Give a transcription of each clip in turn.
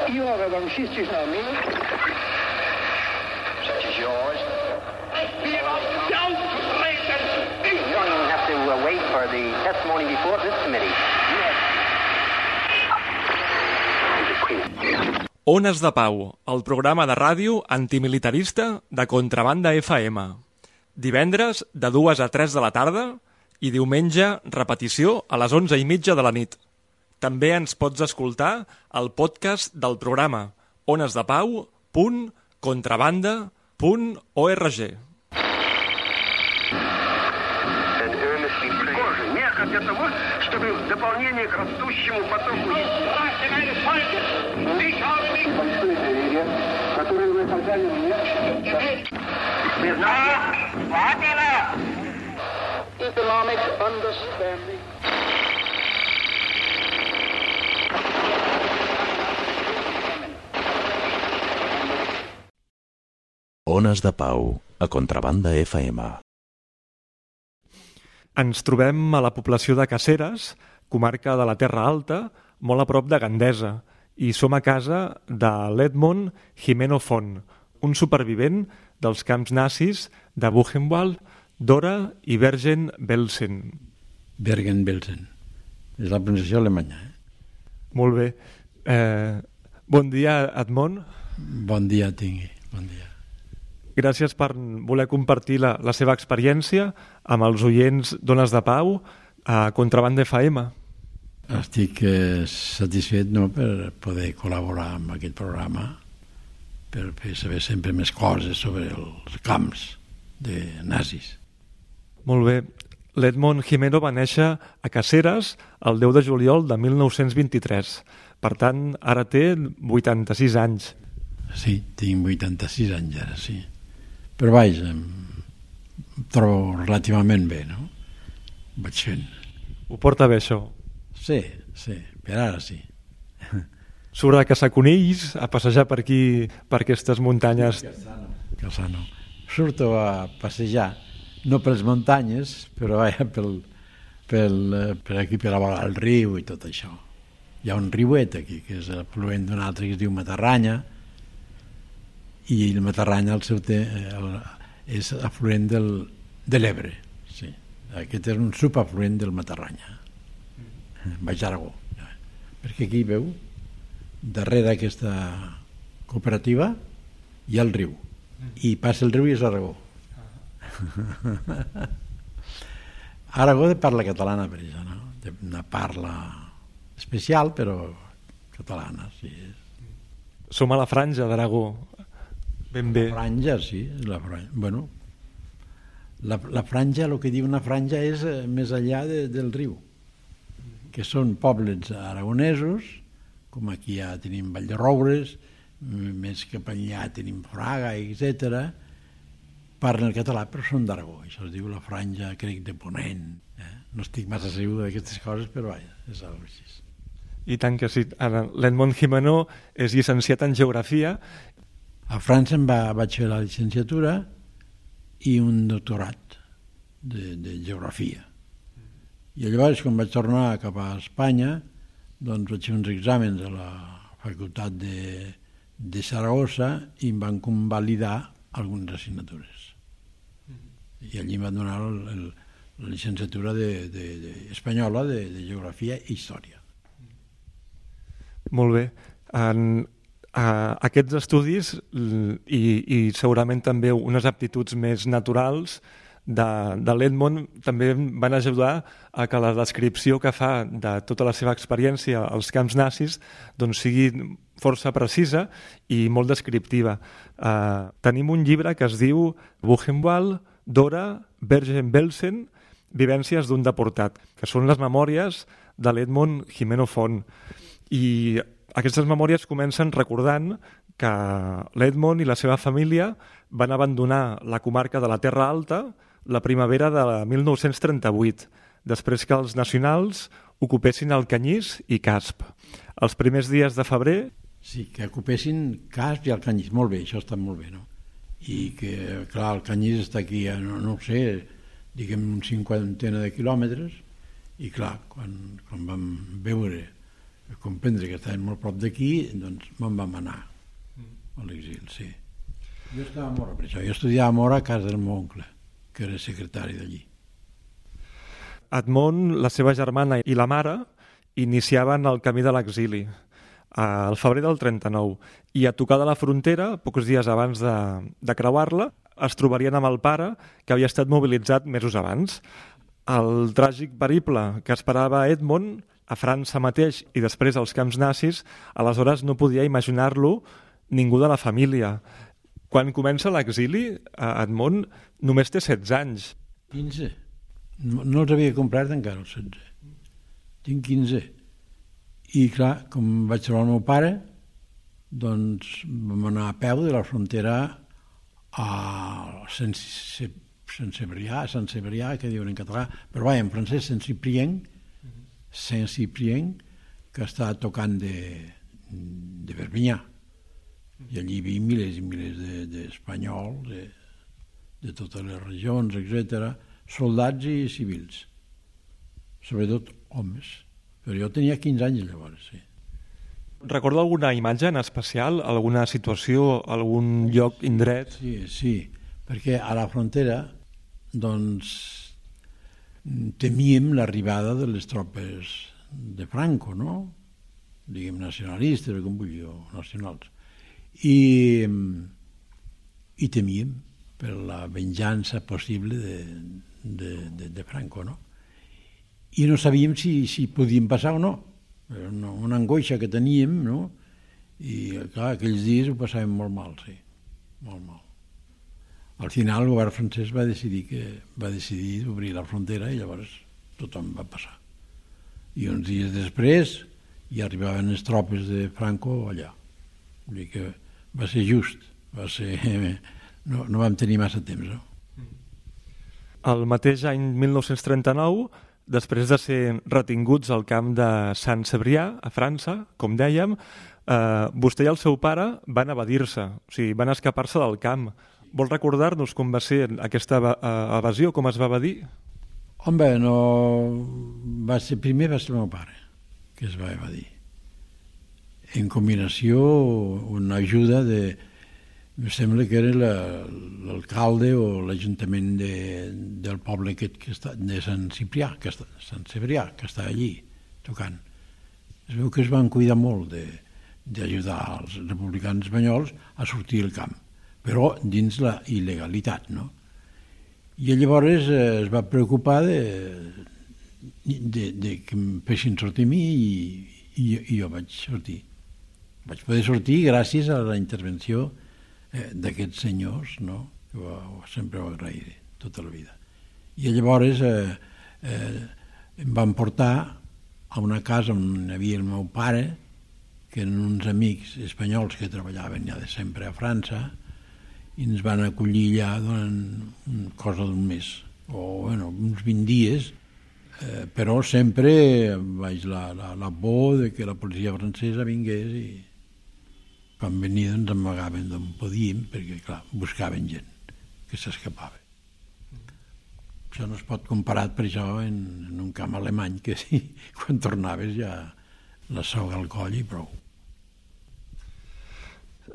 You are among sisters now, me. Such as yours. You don't have to wait for the testimony before this committee. Ones de Pau, el programa de ràdio antimilitarista de Contrabanda FM. Divendres de 2 a 3 de la tarda i diumenge repetició a les 11:30 de la nit. També ens pots escoltar al podcast del programa onesdepau.contrabanda.org. Для того, чтобы в дополнение к растущему потоку... Большое доверие, которое вы оказали мне. Economic understanding. Ones de Pau, a Contrabanda FM. Ens trobem a la població de Caseres, comarca de la Terra Alta, molt a prop de Gandesa, i som a casa de l'Edmond Gimeno Font, un supervivent dels camps nazis de Buchenwald, Dora i Bergen-Belsen. Bergen-Belsen. És la pronunciació alemanya. Molt bé. Bon dia, Edmond. Bon dia, tingui. Bon dia. Gràcies per voler compartir la seva experiència amb els oients d'Ones de Pau a Contrabanda FM. Estic satisfet per poder col·laborar amb aquest programa, per fer saber sempre més coses sobre els camps de nazis. Molt bé. L'Edmond Gimeno va néixer a Caseres el 10 de juliol de 1923. Per tant, ara té 86 anys. Sí, tinc 86 anys ara, sí. Però vaja, em trobo relativament bé, no? Vaig fent. Ho porta bé, això? Sí, per ara sí. Surt a caçar conills, a passejar per aquí, per aquestes muntanyes. Calçano. Surto a passejar, no per les muntanyes, però per aquí, per a el riu i tot això. Hi ha un riuet aquí, que és afluent d'un altre que es diu Matarranya, i el Matarranya és afluent de l'Ebre. Sí. Aquest és un subafluent del Matarranya. Baix Aragó. Perquè aquí, veu, darrere d'aquesta cooperativa hi ha el riu. I passa el riu i és Aragó. Aragó parla catalana, per això, no? Una parla especial, però catalana, sí. Som a la franja d'Aragó. Ben bé. La franja, sí. Bueno, la franja, el que diu una franja és més enllà del riu, que són pobles aragonesos, com aquí ja tenim Vallderoures, més cap enllà tenim Fraga, etc. Parlen el català, però són d'Aragó. Això es diu la franja, crec, de Ponent. No estic massa segur d'aquestes coses, però vaja, és algo així. I tant que sí. L'Edmond Gimeno és llicenciat en Geografia. A França vaig fer la llicenciatura i un doctorat de Geografia. I llavors, quan vaig tornar cap a Espanya, doncs vaig fer uns exàmens a la facultat de Saragossa i em van convalidar algunes assignatures. I allí em van donar la llicenciatura espanyola de Geografia i Història. Molt bé. Aquests estudis i segurament també unes aptituds més naturals de l'Edmond també van ajudar a que la descripció que fa de tota la seva experiència als camps nazis doncs sigui força precisa i molt descriptiva. Tenim un llibre que es diu Buchenwald, Dora, Bergen-Belsen, vivències d'un deportat, que són les memòries de l'Edmond Gimeno Font. I aquestes memòries comencen recordant que l'Edmond i la seva família van abandonar la comarca de la Terra Alta la primavera de 1938, després que els nacionals ocupessin el Canyís i Casp. Els primers dies de febrer... Sí, que ocupessin Casp i el Canyís. Molt bé, això està molt bé, no? I que, clar, el Canyís està aquí, no ho sé, diguem, un 50 de quilòmetres, i clar, quan vam veure Per comprendre que estàvem molt prop d'aquí, doncs me'n vam anar a l'exili, sí. Jo estava a Mora, per això. Jo estudiava a Mora a casa del meu oncle, que era secretari d'allí. Edmond, la seva germana i la mare iniciaven el camí de l'exili al febrer del 39 i a tocar de la frontera, pocs dies abans de creuar-la, es trobarien amb el pare que havia estat mobilitzat mesos abans. El tràgic periple que esperava Edmond a França mateix i després als camps nazis, aleshores no podia imaginar-lo ningú de la família. Quan comença l'exili, Edmond només té 16 anys. 15. No els havia comprat encara els 16. Tinc 15. I clar, com vaig trobar el meu pare, doncs vam anar a peu de la frontera a Sant Cebrià, que diuen en català, però en francès Saint-Cyprien, que està tocant de Perpinyà. I allí hi havia milers i milers d'espanyols, de totes les regions, etc., soldats i civils, sobretot homes. Però jo tenia 15 anys llavors, sí. Recorda alguna imatge en especial, alguna situació, algun lloc, indret? Sí, perquè a la frontera doncs temíem l'arribada de les tropes de Franco, no? Diguem nacionalistes, com vulgui, o nacionals. I temíem per la venjança possible de Franco, no? I no sabíem si podíem passar o no. Era una angoixa que teníem, no? I, clar, aquells dies ho passàvem molt mal, sí, molt mal. Al final el govern francès va decidir obrir la frontera i llavors tothom va passar. I uns dies després hi arribaven les tropes de Franco allà. Vull dir que va ser just, no vam tenir massa temps, no? El mateix any 1939, després de ser retinguts al camp de Saint-Cebrià, a França, com dèiem, vostè i el seu pare van evadir-se, o sigui, van escapar-se del camp. Vol recordar-nos com va ser aquesta evasió, com es va evadir? Home, primer va ser el meu pare que es va evadir. En combinació, una ajuda em sembla que era l'alcalde o l'ajuntament del poble de Sant Cebrià, que està allí tocant. Es veu que es van cuidar molt d'ajudar els republicans espanyols a sortir del camp, però dins la il·legalitat, no? I llavors es va preocupar de que em fessin sortir a mi i jo vaig sortir. Vaig poder sortir gràcies a la intervenció d'aquests senyors, no? Que sempre ho agrairé tota la vida. I llavors em van portar a una casa on hi havia el meu pare, que eren uns amics espanyols que treballaven ja de sempre a França, i ens van acollir allà durant cosa d'un mes, o uns 20 dies, però sempre vaig la por de que la policia francesa vingués i quan venia ens amagaven d'on podíem, perquè clar, buscaven gent que s'escapava. Això no es pot comparar per això en un camp alemany, que sí, quan tornaves ja la soga al coll i prou.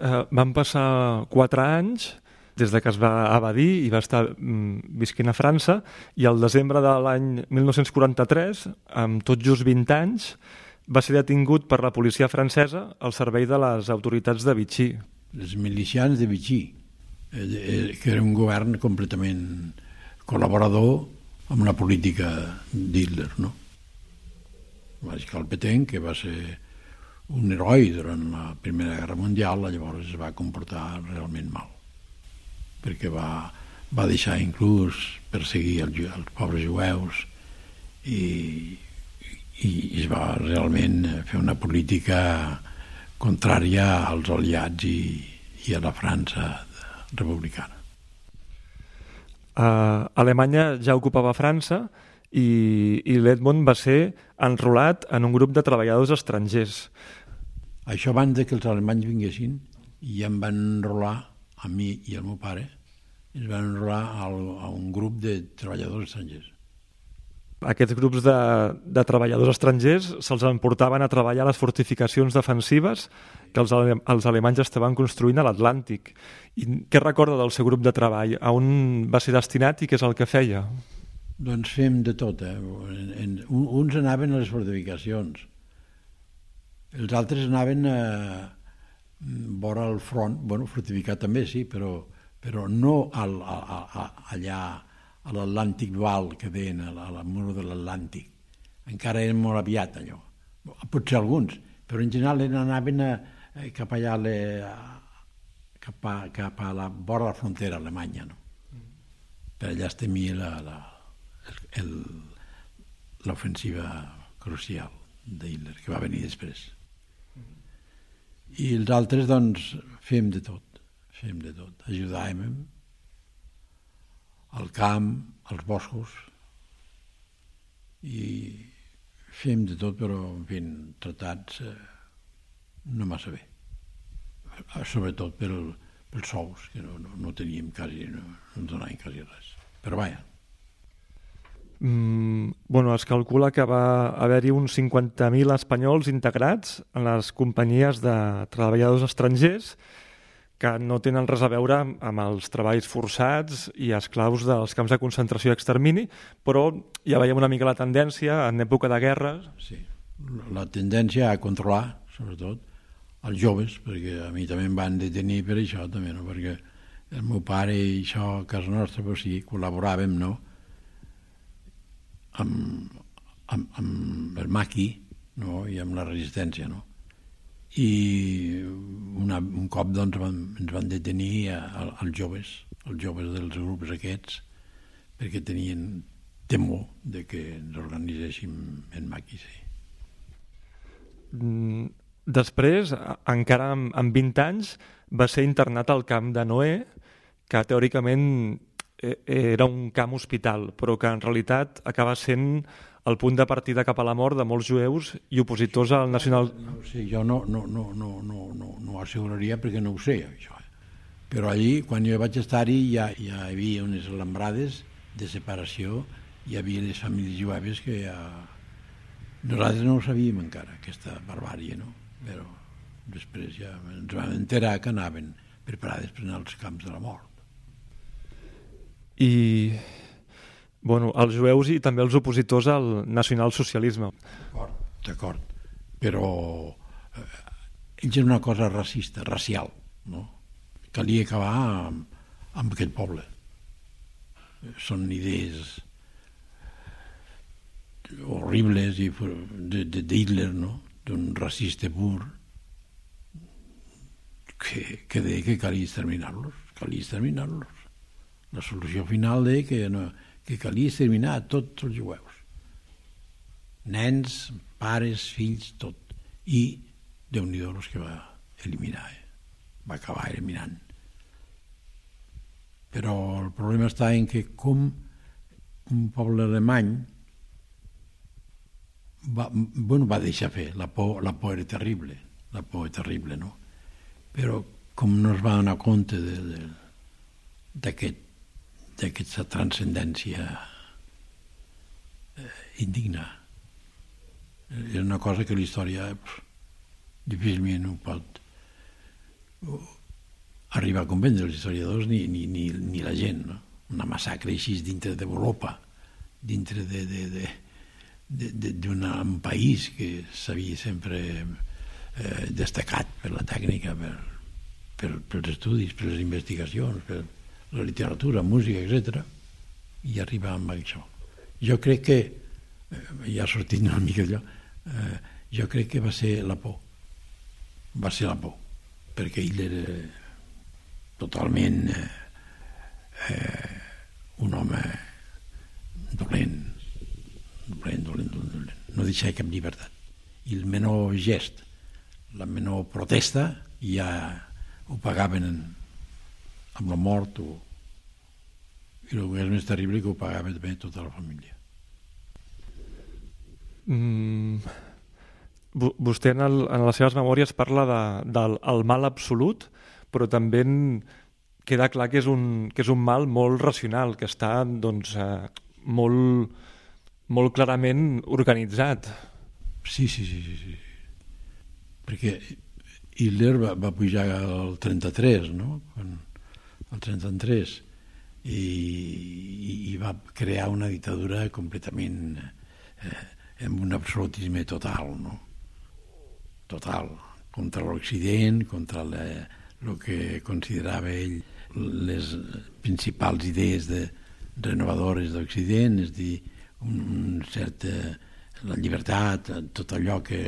Van passar 4 anys des de que es va evadir i va estar visquent a França, i al desembre de l'any 1943, amb tot just 20 anys, va ser detingut per la policia francesa al servei de les autoritats de Vichy. Els milicians de Vichy, que era un govern completament col·laborador amb la política d'Hitler, no? Mariscal Pétain, que va ser un heroi durant la Primera Guerra Mundial, llavors es va comportar realment mal, perquè va deixar inclús perseguir els pobres jueus i es va realment fer una política contrària als aliats i a la França republicana. Alemanya ja ocupava França i l'Edmond va ser enrolat en un grup de treballadors estrangers. Això abans que els alemanys vinguessin, i em van enrolar a mi i al meu pare, ens van enrolar a un grup de treballadors estrangers. Aquests grups de treballadors estrangers se'ls emportaven a treballar a les fortificacions defensives que els alemanys estaven construint a l'Atlàntic. I què recorda del seu grup de treball? A on va ser destinat i què és el que feia? Doncs fem de tot. Uns anaven a les fortificacions, els altres anaven a vora el front, bueno, fortificat també sí, però no allà a l'Atlàntic Val, que deien, a la mur de l'Atlàntic. Encara era molt aviat, allò. Potser alguns, però en general anaven cap allà, cap a la vora de la frontera alemanya, no? Per allà es temia l'ofensiva crucial d'Hitler, que va venir després. I els altres, doncs, fem de tot. Ajudàvem al camp, als boscos, i fem de tot, però, en fi, tratats no massa bé. Sobretot pels sous, que no teníem quasi, no ens donaven quasi res. Però vaja. Bueno, es calcula que va haver-hi uns 50.000 espanyols integrats en les companyies de treballadors estrangers que no tenen res a veure amb els treballs forçats i esclaus dels camps de concentració i extermini, però ja veiem una mica la tendència en època de guerra. Sí, la tendència a controlar, sobretot, els joves, perquè a mi també em van detenir per això, també, no? Perquè el meu pare i això a casa nostra, però sí, col·laboràvem, no?, amb el maqui, no?, i amb la resistència, no? I un cop doncs ens van detenir els joves dels grups aquests, perquè tenien temor de que ens organitzéssim en maquis. Després, encara amb 20 anys, va ser internat al camp de Noé, que teòricament era un camp hospital, però que en realitat acaba sent el punt de partida cap a la mort de molts jueus i opositors al nacional... No ho sé, jo no ho asseguraria perquè no ho sé, això. Però allí, quan jo vaig estar-hi, ja hi havia unes alambrades de separació, hi havia les famílies jueves que ja... Nosaltres no ho sabíem encara, aquesta barbàrie, no? Però després ja ens vam enterar que anaven preparades per anar als camps de la mort. I, bueno, els jueus i també els opositors al nacionalsocialisme. D'acord, però ells és una cosa racista, racial, no? Calia acabar amb aquest poble. Són idees horribles d'Hitler, no?, d'un racista pur, que deia que calia exterminar-los. La solució final deia que calia exterminar tots els jueus. Nens, pares, fills, tot. I Déu-n'hi-do els que va eliminar, va acabar eliminant. Però el problema està en que com un poble alemany va deixar fer, la por era terrible, no? Però com no es va donar compte d'aquesta transcendència indigna. És una cosa que la història difícilment ho pot arribar a comprendre, els historiadors ni la gent, no? Una massacre així dintre d'Europa, dintre d'un país que s'havia sempre destacat per la tècnica, pels estudis, per les investigacions, per la literatura, música, etc. I arribar amb això. Jo crec que, ja sortint una mica d'allò, jo crec que va ser la por. Va ser la por, perquè ell era totalment un home dolent. No deixava cap llibertat. I el menor gest, la menor protesta, ja ho pagaven amb la mort, i el que és més terrible que ho pagava també tota la família. Vostè en les seves memòries parla del mal absolut, però també queda clar que és un mal molt racional, que està doncs, molt clarament organitzat. Sí. Perquè Hitler va pujar al 33, no? Al 33, i va crear una dictadura completament amb un absolutisme total, no? Total, contra l'Occident, contra el que considerava ell les principals idees renovadores d'Occident, és a dir, la llibertat, tot allò que...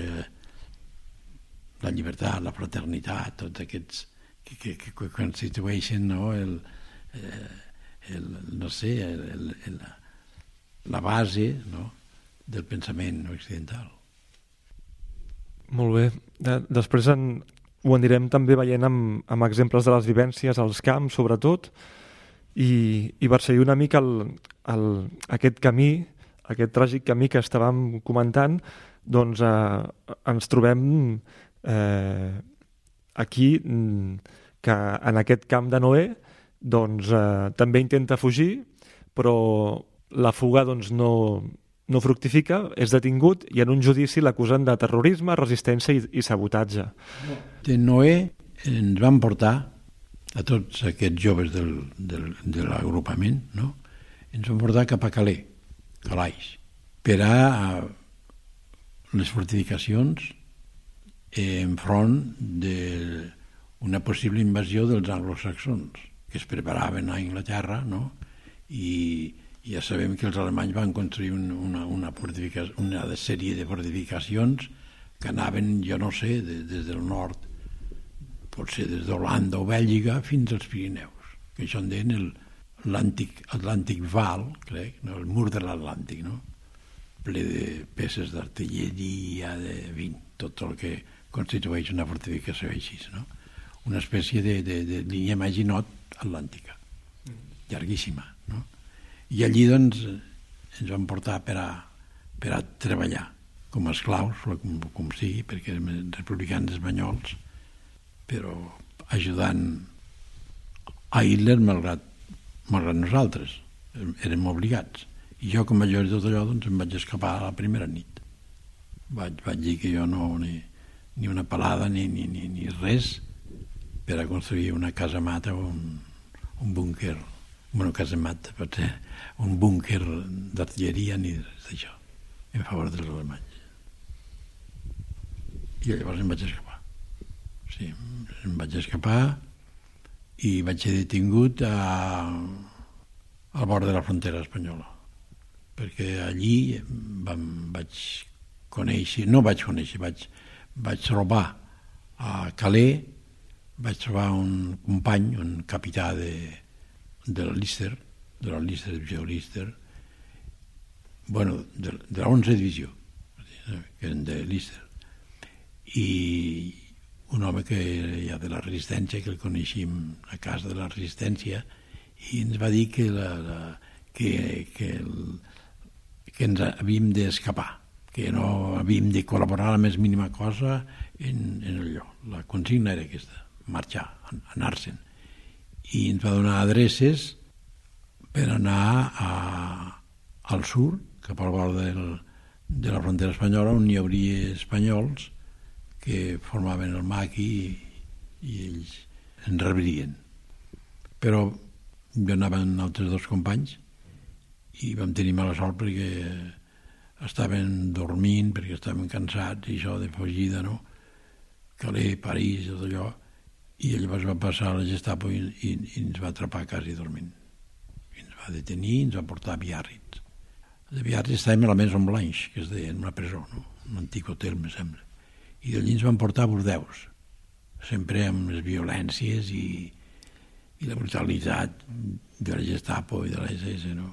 la llibertat, la fraternitat, tots aquests que constitueixen, no, la base, no, del pensament occidental. Molt bé. Després ho anirem també veient amb exemples de les vivències als camps, sobretot, i per seguir una mica aquest camí, aquest tràgic camí que estàvem comentant, doncs ens trobem aquí que en aquest camp de Noé doncs, també intenta fugir, però la fuga doncs, no fructifica, és detingut i en un judici l'acusen de terrorisme, resistència i sabotatge. De Noé ens van portar a tots aquests joves de l'agrupament, no? Ens van portar cap a Calais, per a les fortificacions enfront d'una possible invasió dels anglosaxons que es preparaven a Anglaterra, no? I ja sabem que els alemanys van construir una sèrie de fortificacions que anaven, jo no sé, des del nord, potser des d'Holanda o Bèlgica fins als Pirineus, que això en deien l'Atlàntic Val, crec, no? El mur de l'Atlàntic, no? Ple de peces d'artilleria, tot el que constitueix una fortificació així, no? Una espècie de línia Maginot atlàntica, llarguíssima, no? I allí, doncs, ens van portar per a treballar com a esclaus, com sigui, perquè érem republicans espanyols, però ajudant a Hitler malgrat nosaltres, érem obligats. I jo, com a major de tot allò, doncs em vaig escapar a la primera nit. Vaig dir que jo no, ni una palada ni res per a construir una casamata o un búnquer, bueno, casamata, potser un búnquer d'artilleria ni res d'això, en favor dels alemanys. I llavors em vaig escapar. Sí, em vaig escapar i vaig ser detingut al bord de la frontera espanyola, perquè allí vaig trobar a Calais, vaig trobar un company, un capità de la Lister, divisió Lister, bueno, de la 11 divisió, que eren de Lister, i un home que ja de la resistència, que el coneixíem a casa de la resistència, i ens va dir que ens havíem d'escapar, que no havíem de col·laborar la més mínima cosa en allò. La consigna era aquesta, marxar, anar-se'n. I ens va donar adreces per anar al sud, cap al bord de la frontera espanyola, on hi hauria espanyols que formaven el maqui i ells ens rebrien. Però jo anava amb altres dos companys i vam tenir mala sort perquè estaven dormint, perquè estaven cansats, i això de fugida, no? Calais, París, tot allò, i llavors va passar a la Gestapo i ens va atrapar quasi dormint. I ens va detenir i ens va portar a Biarritz. De Biarritz estàvem a la Maison Blanche, que es deia, en una presó, no? Un antic hotel, me sembla. I d'allí ens van portar a Bordeus, sempre amb les violències i la brutalitat de la Gestapo i de la SS, no?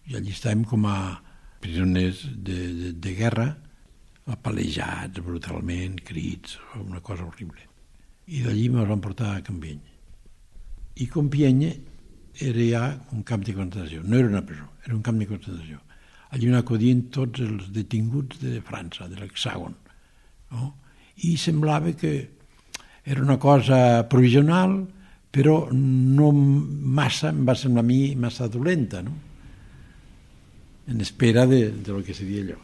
I allí estàvem com a prisoners de guerra, apalejats brutalment, crits, una cosa horrible. I d'allí ens van portar a Compiègne. I Compiègne era ja un camp de concentració, no era una presó, era un camp de concentració. Allí on acudien tots els detinguts de França, de l'Hexàgon, no? I semblava que era una cosa provisional, però no massa, em va semblar a mi, massa dolenta, no? en espera de lo que seria allò.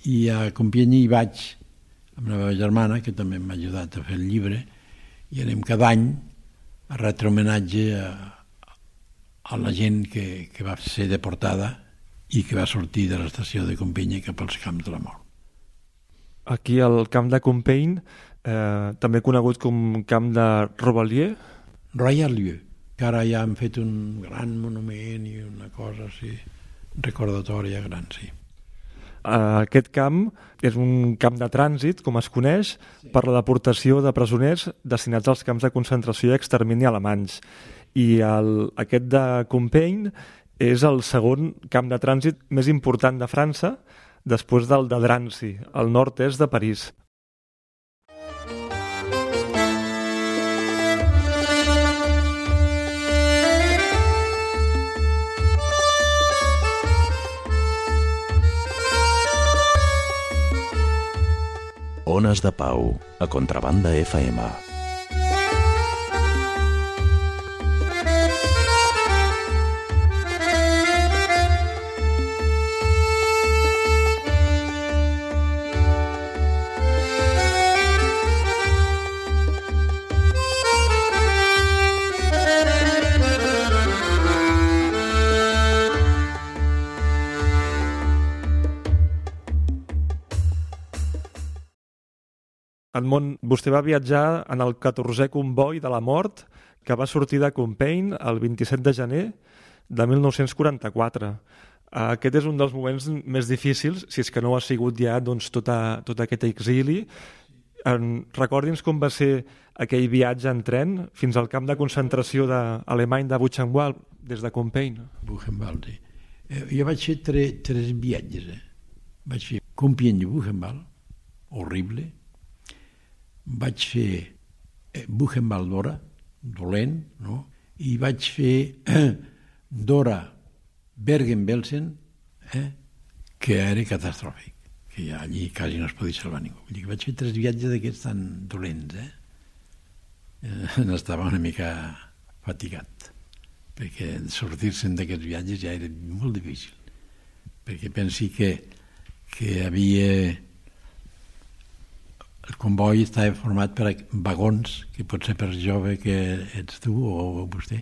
I a Compiègne hi vaig amb la meva germana, que també m'ha ajudat a fer el llibre, i anem cada any a retre homenatge a la gent que va ser deportada i que va sortir de l'estació de Compiègne cap als camps de la mort. Aquí al camp de Compiègne, també conegut com camp de Rovalier. Royal-Lieu, que ara ja han fet un gran monument i una cosa així, recordatòria gran, sí. Aquest camp és un camp de trànsit, com es coneix, per la deportació de presoners destinats als camps de concentració i extermini alemanys. I aquest de Compiègne és el segon camp de trànsit més important de França, després del de Drancy, al nord-est de París. Ones de Pau, a Contrabanda FM. Edmond, vostè va viatjar en el 14è comboi de la mort que va sortir de Compiègne el 27 de gener de 1944. Aquest és un dels moments més difícils, si és que no ha sigut ja tot aquest exili. Recordi'ns com va ser aquell viatge en tren fins al camp de concentració alemany de Buchenwald, des de Compiègne. Buchenwald, sí. Jo vaig fer tres viatges. Vaig fer Compiègne-Buchenwald, horrible. Vaig fer Buchenwald-Dora, dolent, no? I vaig fer Dora-Bergen-Belsen, que era catastròfic, que ja allí quasi no es podia salvar ningú. Vull dir que vaig fer 3 viatges d'aquests tan dolents, N'estava una mica fatigat, perquè sortir-se'n d'aquests viatges ja era molt difícil, perquè pensi que havia... El comboi estava format per vagons, que potser per jove que ets tu o vostè,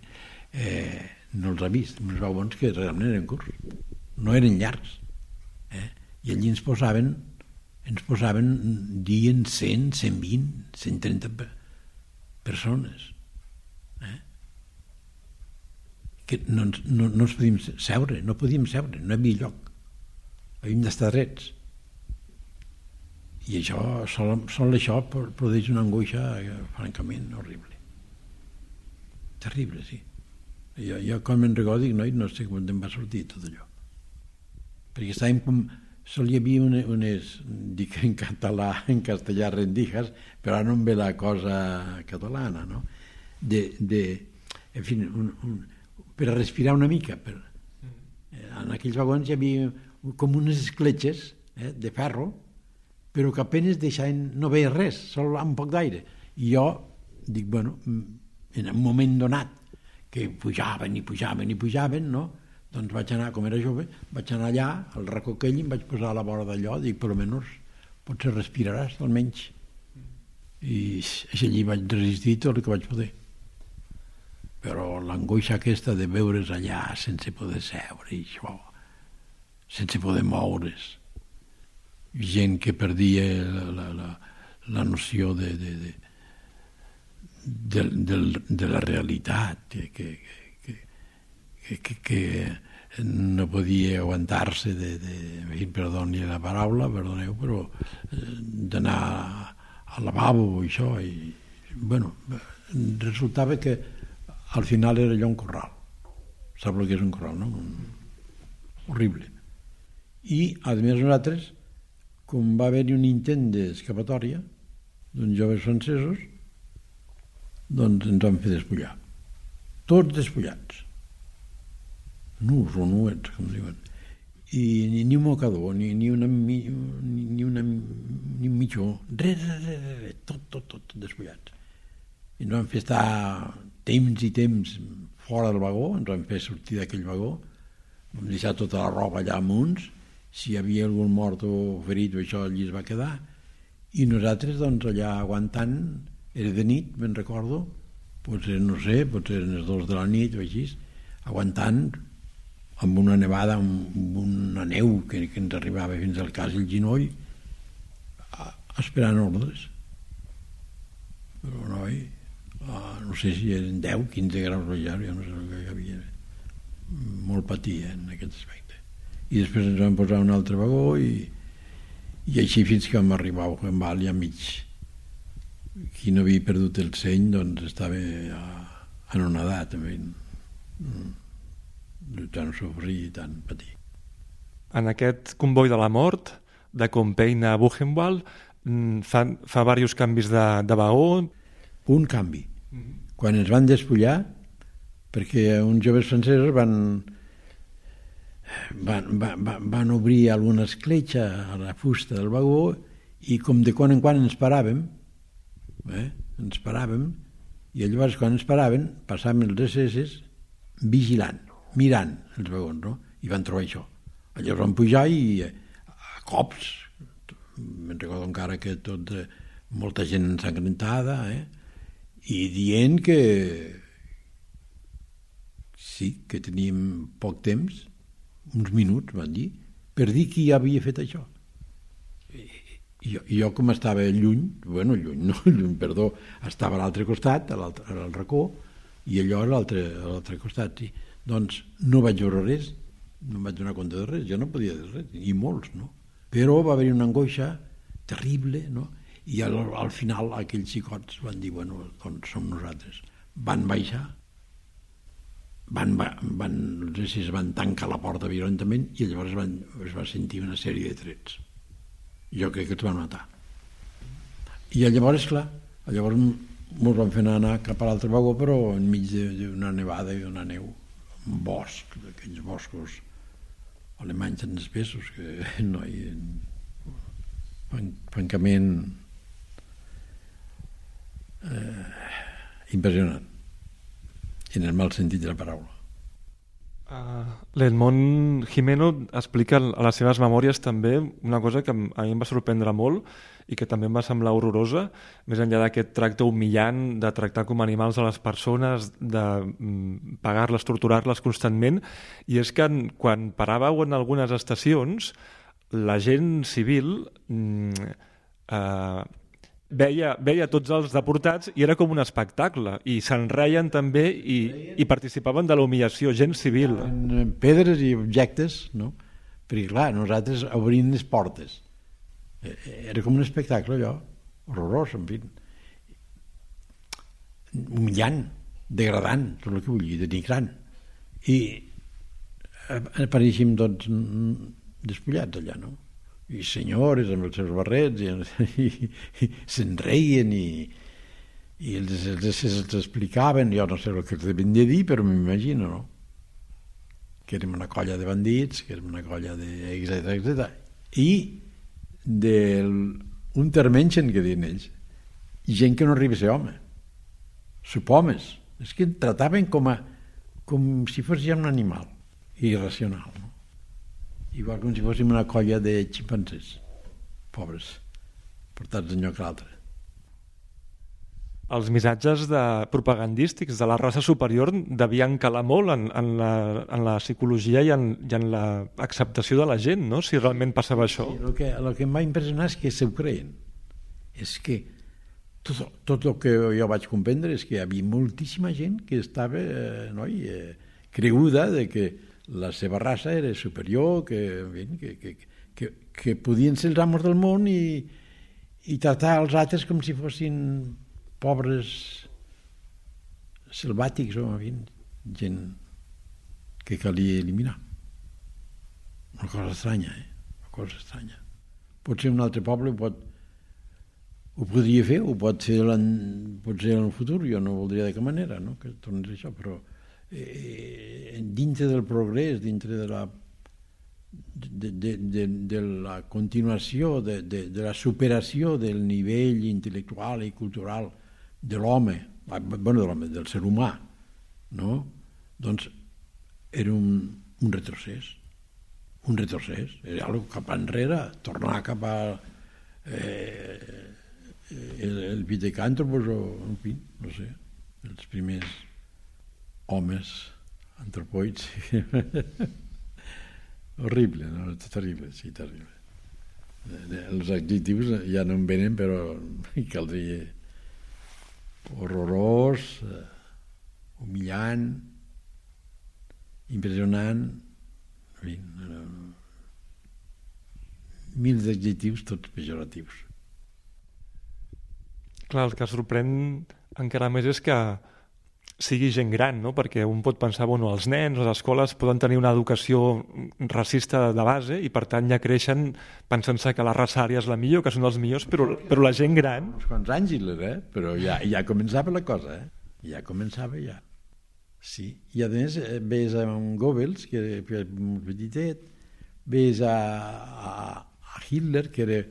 no els ha vist, uns vagons que realment eren curts, no eren llargs. I allí ens posaven dient 100, 120, 130 persones. Que no ens podíem seure, no hi havia lloc. Havíem d'estar drets. I això, sol això produeix una angoixa francament horrible. Terrible, sí. Jo quan me'n recordo dic, no sé com em va sortir tot allò. Perquè estàvem com... Sol hi havia unes, dic en català, en castellà, rendijas, però ara no em ve la cosa catalana, no? En fi, per a respirar una mica. En aquells vagons hi havia com unes escletxes de ferro, però que apenas deixaven, no veia res, sol un poc d'aire. I jo dic, bueno, en un moment donat, que pujaven, no? Doncs vaig anar, com era jove, vaig anar allà, al racó aquell, i em vaig posar a la vora d'allò, dic, per almenys potser respiraràs, almenys. I allí vaig resistir tot el que vaig poder. Però l'angoixa aquesta de veure's allà sense poder seure, i això, sense poder moure's, gent que perdia la noció de la realitat, que no podia aguantar-se perdoni la paraula, perdoneu, però d'anar al lavabo i això, i bueno, resultava que al final era allò un corral. Sap el que és un corral, no? Horrible. I, a més, nosaltres, com va haver-hi un intent d'escapatòria d'uns joves francesos, doncs ens van fer despullar. Tots despullats. Nus o nuets, com diuen. I ni un mocador, ni un mitjó, res, tot despullats. I ens van fer estar temps i temps fora del vagó, ens van fer sortir d'aquell vagó, vam deixar tota la roba allà amunt, si hi havia algun mort o ferit o això allí es va quedar, i nosaltres doncs allà aguantant, era de nit, me'n recordo, potser no sé, potser eren les 2 de la nit o així, aguantant amb una nevada, amb una neu que ens arribava fins al cas el ginoll, esperant ordres. Però noi, no sé si eren 10, 15 graus baixar, jo no sé el que hi havia. Molt patia en aquest aspecte. I després ens vam posar un altre vagó i així fins que vam arribar a Buchenwald ja mig. Qui no havia perdut el seny doncs estava anonadat també, de tant sofrir i tant patir. En aquest comboi de la mort de Compiègne a Buchenwald fa diversos canvis de vagó. Un canvi. Quan ens van despullar, perquè uns joves francesos van obrir alguna escletxa a la fusta del vagó i com de quan en quan ens paràvem, i llavors quan ens paraven passàvem els SS vigilant, mirant els vagons, no? I van trobar això. Llavors van pujar i a cops, me'n recordo encara que molta gent ensangrentada, i dient que sí, que teníem poc temps, uns minuts, van dir, per dir qui havia fet això. I jo com estava lluny, estava a l'altre costat, al racó, i allò a l'altre costat. Sí. Doncs no vaig veure res, no em vaig donar compte de res, jo no podia dir res, i molts, no? Però va haver una angoixa terrible, no? I al final aquells xicots van dir, bueno, doncs som nosaltres. Van baixar, es van tancar la porta violentament i llavors es va sentir una sèrie de trets. Jo crec que els van matar. I llavors, clar, ens van fer anar cap a l'altre vagó, però enmig d'una nevada i d'una neu, un bosc, d'aquells boscos alemanys tan espessos que no hi francament impressionant, en el mal sentit de la paraula. L'Edmond Gimeno explica a les seves memòries també una cosa que a mi em va sorprendre molt i que també em va semblar horrorosa, més enllà d'aquest tracte humillant de tractar com animals a les persones, de pagar-les, torturar-les constantment, i és que quan paràveu en algunes estacions la gent civil veia tots els deportats i era com un espectacle, i se'n reien també i participaven de la humillació, gent civil. Pedres i objectes, no? Perquè clar, nosaltres obrim les portes. Era com un espectacle allò, horrorós, en fi. Humillant, degradant, tot el que vull dir, denigrant. I apareixíem tots despullats allà, no? I senyores amb els seus barrets i se'n reien i els explicaven, jo no sé el que els devien de dir, però m'imagino, no? Que érem una colla de bandits, que érem una colla de etc. I d'un termengen, que diuen ells, gent que no arriba a ser home, subhomes, és que trataven com si fos ja un animal irracional, no? Igual com si fóssim una colla de ximpancers, pobres, portats d'un lloc a l'altre. Els missatges propagandístics de la raça superior devien calar molt en la psicologia i en l'acceptació de la gent, no?, si realment passava això. Sí, el que em va impressionar és que s'ho creien. És que tot el que jo vaig comprendre és que hi havia moltíssima gent que estava creguda de que la seva raça era superior, que podien ser els amos del món i tractar els altres com si fossin pobres selvàtics o gent que calia eliminar. Una cosa estranya, una cosa estranya. Potser un altre poble ho podria fer, ho pot fer potser en el futur, jo no voldria de cap manera, no?, que tornés això, però dintre del progrés, dintre de la continuació, de la superació del nivell intel·lectual i cultural de l'home, del ser humà, no? Doncs era un retrocés. Era cap enrere, tornar cap a el pitecàntropos o, en fi, no sé, els primers homes antropoids. Horrible, no? Terrible, sí, terrible. Els adjectius ja no em venen, però caldria horrorós, humillant, impressionant, en fi, mil d'adjectius, tots pejoratius. Clar, el que sorprèn encara més és que sigui gent gran, no? Perquè un pot pensar, bueno, els nens o les escoles poden tenir una educació racista de base i per tant ja creixen pensant-se que la raça ària és la millor, que són els millors, però la gent gran... Uns quants anys, però ja començava la cosa, ja començava ja. Sí, i a més ves a un Goebbels, que era molt petitet, ves a Hitler, que era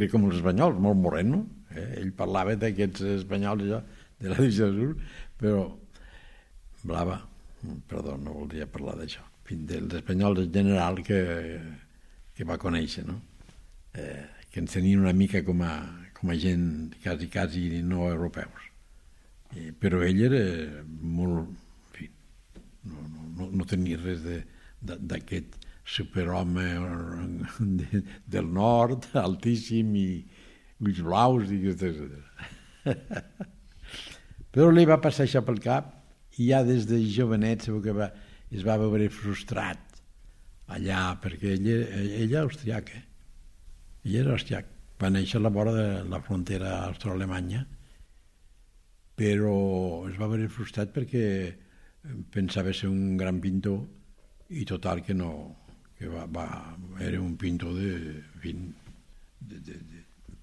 com els espanyols, molt moreno, ell parlava d'aquests espanyols allò, de la divisió azul, però blava, perdó, no voldria parlar d'això, dels espanyols en general que va conèixer, no? Que ens tenien una mica com a gent quasi no europeus. Però ell era molt, en fi, no tenia res d'aquest superhome del nord, altíssim i ulls blaus i etc. Però li va passar això pel cap i ja des de jovenet segur que es va veure frustrat allà, perquè ell era austriac, ell era austriac, va néixer a la vora de la frontera austro-alemanya, però es va veure frustrat perquè pensava ser un gran pintor i total que no, que era un pintor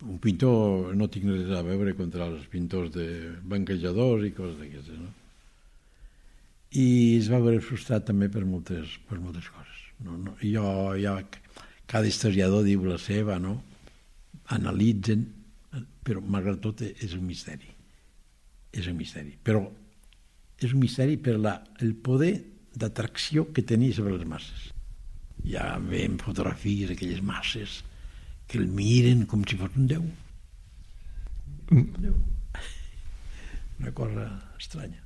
un pintor, no tinc res a veure contra els pintors de banquejadors i coses d'aquestes, no? I es va veure frustrat també per moltes coses. Cada historiador diu la seva, no? Analitzen, però malgrat tot és un misteri. És un misteri. Però és un misteri per el poder d'atracció que tenia sobre les masses. Ja veiem fotografies d'aquelles masses que el miren com si fos un déu. Una cosa estranya.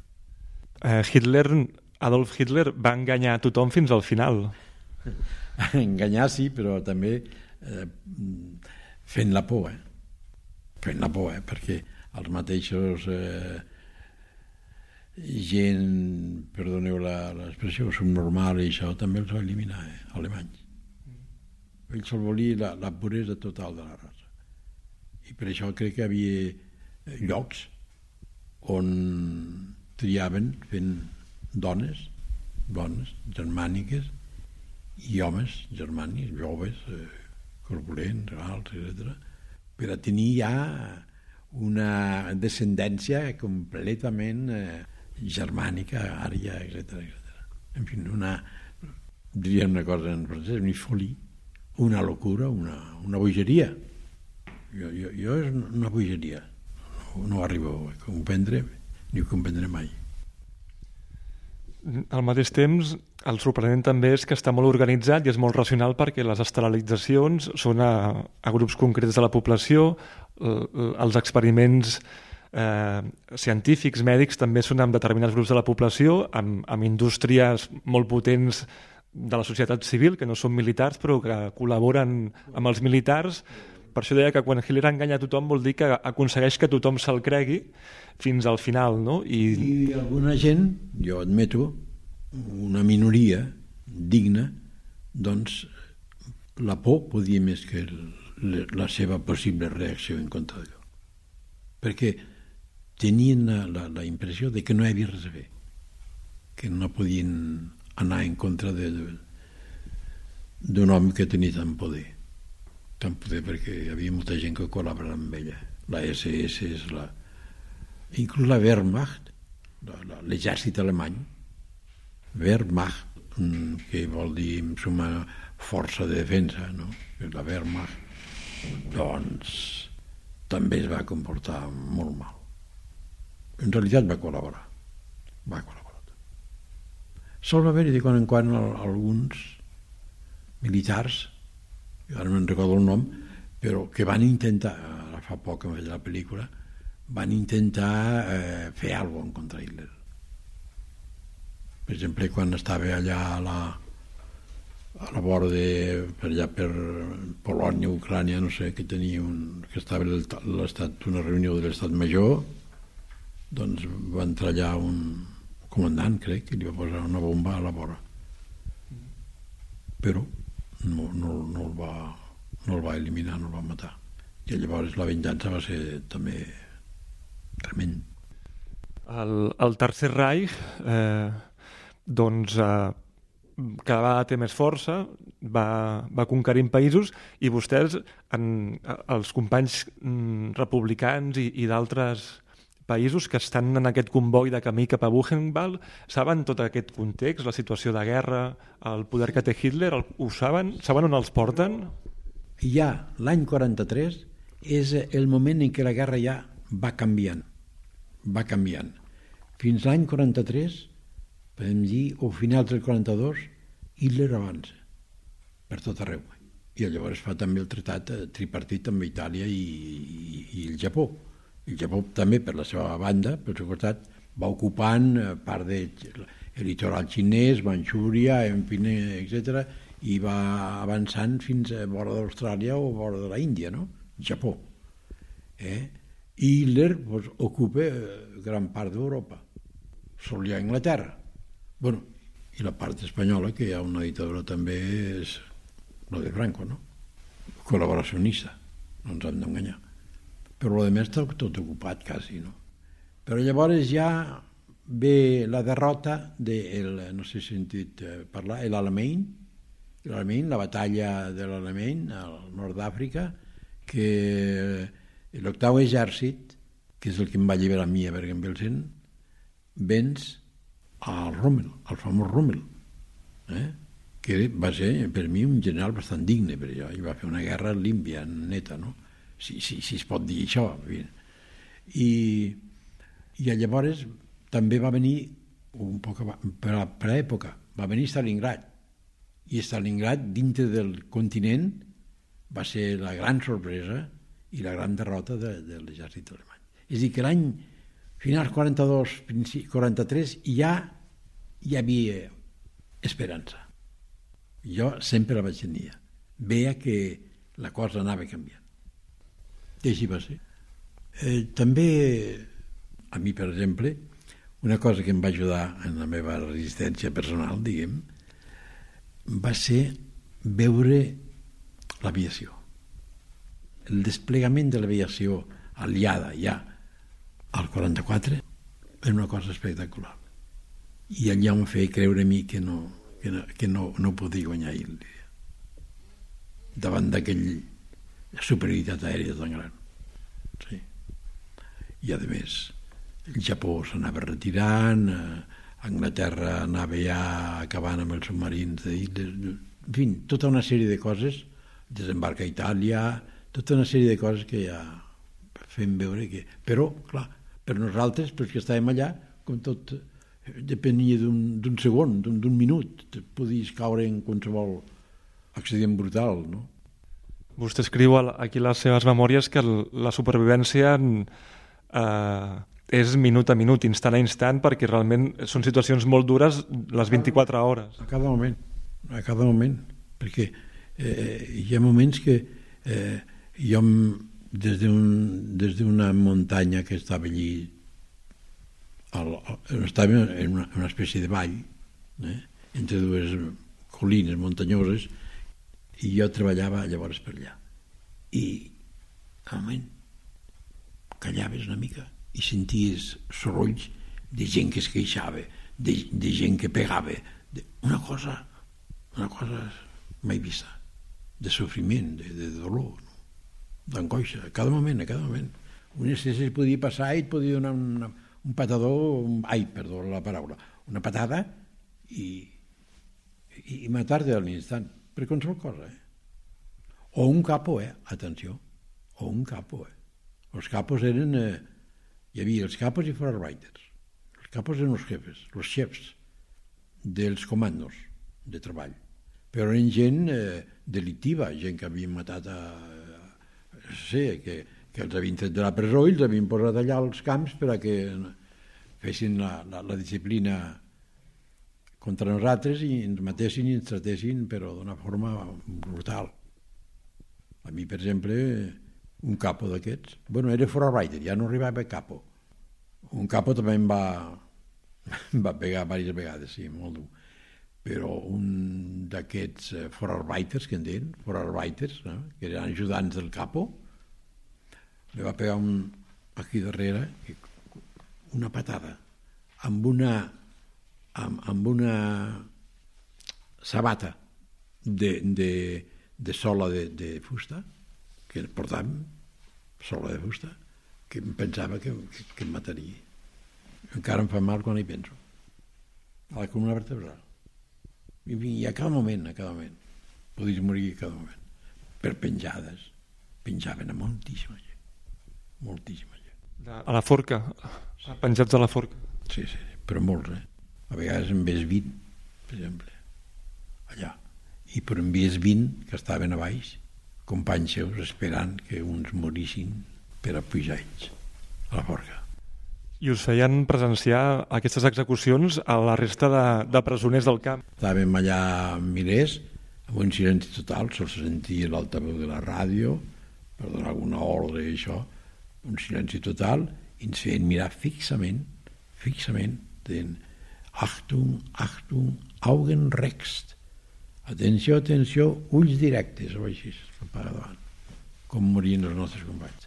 Adolf Hitler va enganyar a tothom fins al final. Enganyar sí, però també fent la por, fent la por, perquè els mateixos gent, perdoneu l'expressió, subnormal i això també els va eliminar, alemanys. Ell sol volia la puresa total de la raça. I per això crec que hi havia llocs on triaven fent dones germàniques i homes germànics, joves, corpulents, alts, etc., per a tenir ja una descendència completament germànica, ària, etc. En fi, diríem una cosa en francès, una folie, una locura, una bogeria. Jo és una bogeria. No arribo a comprendre, ni ho comprendré mai. Al mateix temps, el sorprenent també és que està molt organitzat i és molt racional perquè les esterilitzacions són a grups concrets de la població, els experiments científics, mèdics, també són amb determinats grups de la població, amb indústries molt potents de la societat civil, que no són militars però que col·laboren amb els militars. Per això deia que quan Hitler enganya a tothom vol dir que aconsegueix que tothom se'l cregui fins al final, no? I alguna gent, jo admeto, una minoria digna, doncs la por podia més que la seva possible reacció en contra d'allò. Perquè tenien la impressió de que no hi havia res a fer, que no podien anar en contra d'un home que tenia tant poder perquè hi havia molta gent que col·laborava amb ella, la SS, inclús la Wehrmacht, l'exèrcit alemany, Wehrmacht, que vol dir en suma força de defensa, no? La Wehrmacht, doncs també es va comportar molt mal. En realitat va col·laborar. Sol va haver-hi de quan en quan alguns militars, ara no en recordo el nom, però que van intentar, ara fa poc que em vaig la pel·lícula, van intentar fer alguna cosa contra Hitler. Per exemple, quan estava allà a la vora per allà per Polònia, Ucrània, no sé, que estava una reunió de l'estat major, doncs va entrar allà un comandant, crec, i li va posar una bomba a la vora. Però no el va eliminar, no el va matar. I llavors la venjança va ser també tremend. El Tercer Reich cada vegada té més força, va conquerint països, i vostès, els companys republicans i d'altres països que estan en aquest comboi de camí cap a Buchenwald, saben tot aquest context, la situació de guerra, el poder que té Hitler, ho saben? Saben on els porten? Ja l'any 43 és el moment en què la guerra ja va canviant. Fins l'any 43, podem dir, o finals del 42, Hitler avança per tot arreu. I llavors fa també el tractat tripartit amb Itàlia i el Japó. El Japó també, per la seva banda, pel seu costat, va ocupant part del litoral xinès, Manxúria, etc., i va avançant fins a vora d'Austràlia o vora de la Índia, no? Japó. I Hitler ocupa gran part d'Europa. Sol hi ha Anglaterra. Bueno, i la part espanyola, que hi ha una dictadura també, és la de Franco, no? Col·laboracionista, no ens hem d'enganyar. Però el més està tot ocupat, quasi, no? Però llavors ja ve la derrota no sé si he sentit parlar, l'Alamein, la batalla de l'Alamein, al nord d'Àfrica, que l'octau exèrcit, que és el que em va alliberar a mi a Bergen-Belsen, venç al Rommel, al famós Rommel, que va ser per mi un general bastant digne, perquè ell va fer una guerra límpia, neta, no? Si es pot dir això. I llavors també va venir, un poc per l'època, va venir Stalingrad. I Stalingrad, dintre del continent, va ser la gran sorpresa i la gran derrota de l'exèrcit alemany. És a dir, que l'any finals 42, 43, ja hi havia esperança. Jo sempre la vaig tenir. Veia que la cosa anava canviant. I així va ser. També, a mi, per exemple, una cosa que em va ajudar en la meva resistència personal, diguem, va ser veure l'aviació. El desplegament de l'aviació aliada ja al 44 era una cosa espectacular. I allà em feia creure a mi que no podia guanyar Hitler davant d'aquella superioritat aèria tan gran. Sí. I a més el Japó s'anava retirant, Anglaterra anava ja acabant amb els submarins de Hitler, en fi, tota una sèrie de coses, desembarca a Itàlia, tota una sèrie de coses que ja fem veure que... Però, clar, per nosaltres, pels que estàvem allà, com tot depenia d'un segon, d'un minut, podies caure en qualsevol accident brutal, no? Vostè escriu aquí a les seves memòries que la supervivència és minut a minut, instant a instant, perquè realment són situacions molt dures les 24 hores. A cada moment, perquè hi ha moments que jo des d'una muntanya que estava allí, estava en una espècie de vall, entre dues collines muntanyoses, i jo treballava llavors per allà. I, al moment, callaves una mica i senties sorolls de gent que es queixava, de gent que pegava, una cosa mai vista, de sofriment, de dolor, d'angoixa, a cada moment. Un excés podia passar i et podia donar un patador, la paraula, una patada i matar-te a l'instant, per qualsevol cosa, O un capo, atenció, o un capo, Els capos eren... hi havia els capos i Vorarbeiters. Els capos eren els jefes, els xefs dels comandos de treball. Però eren gent delictiva, gent que havien matat que els havien tret de la presó i els havien posat allà als camps per a que fessin la disciplina contra nosaltres i ens matessin i ens tratessin, però d'una forma brutal. A mi, per exemple, un capo d'aquests, era forarbeiter, ja no arribava a capo. Un capo també em va pegar diverses vegades, sí, molt dur. Però un d'aquests forarbeiters, que en deien, forarbeiters, que eren ajudants del capo, li va pegar aquí darrere una patada amb una sabata de sola de fusta, que portàvem sola de fusta, que em pensava que em mataria. Encara em fa mal quan hi penso. A la columna vertebral. I a cada moment, podies morir a cada moment. Per penjades. Penjaven a moltíssima gent. Moltíssima gent. A la forca, penjats a la forca. Sí, però molts, A vegades en ves 20, per exemple, allà. I però en ves 20 que estaven a baix, companys seus, esperant que uns morissin per a pujar ells a la forca. I us feien presenciar aquestes execucions a la resta de presoners del camp? Estàvem allà milers, amb un silenci total, sols sentia l'altaveu de la ràdio, per donar alguna ordre i això, un silenci total, i ens feien mirar fixament, deien Achtung, Achtung, Augen rechts. Atenció, atenció, ulls directes, o així, davant, com morien els nostres companys.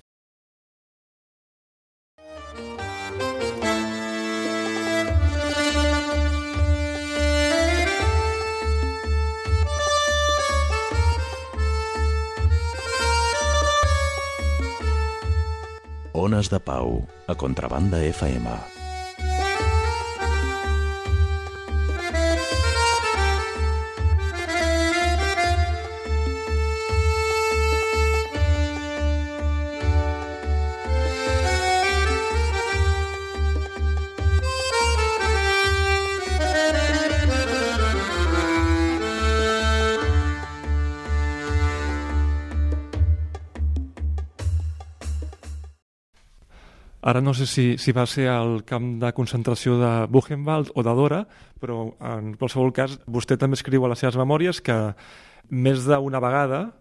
Ones de Pau, a Contrabanda FM. Ara no sé si va ser al camp de concentració de Buchenwald o de Dora, però en qualsevol cas vostè també escriu a les seves memòries que més d'una vegada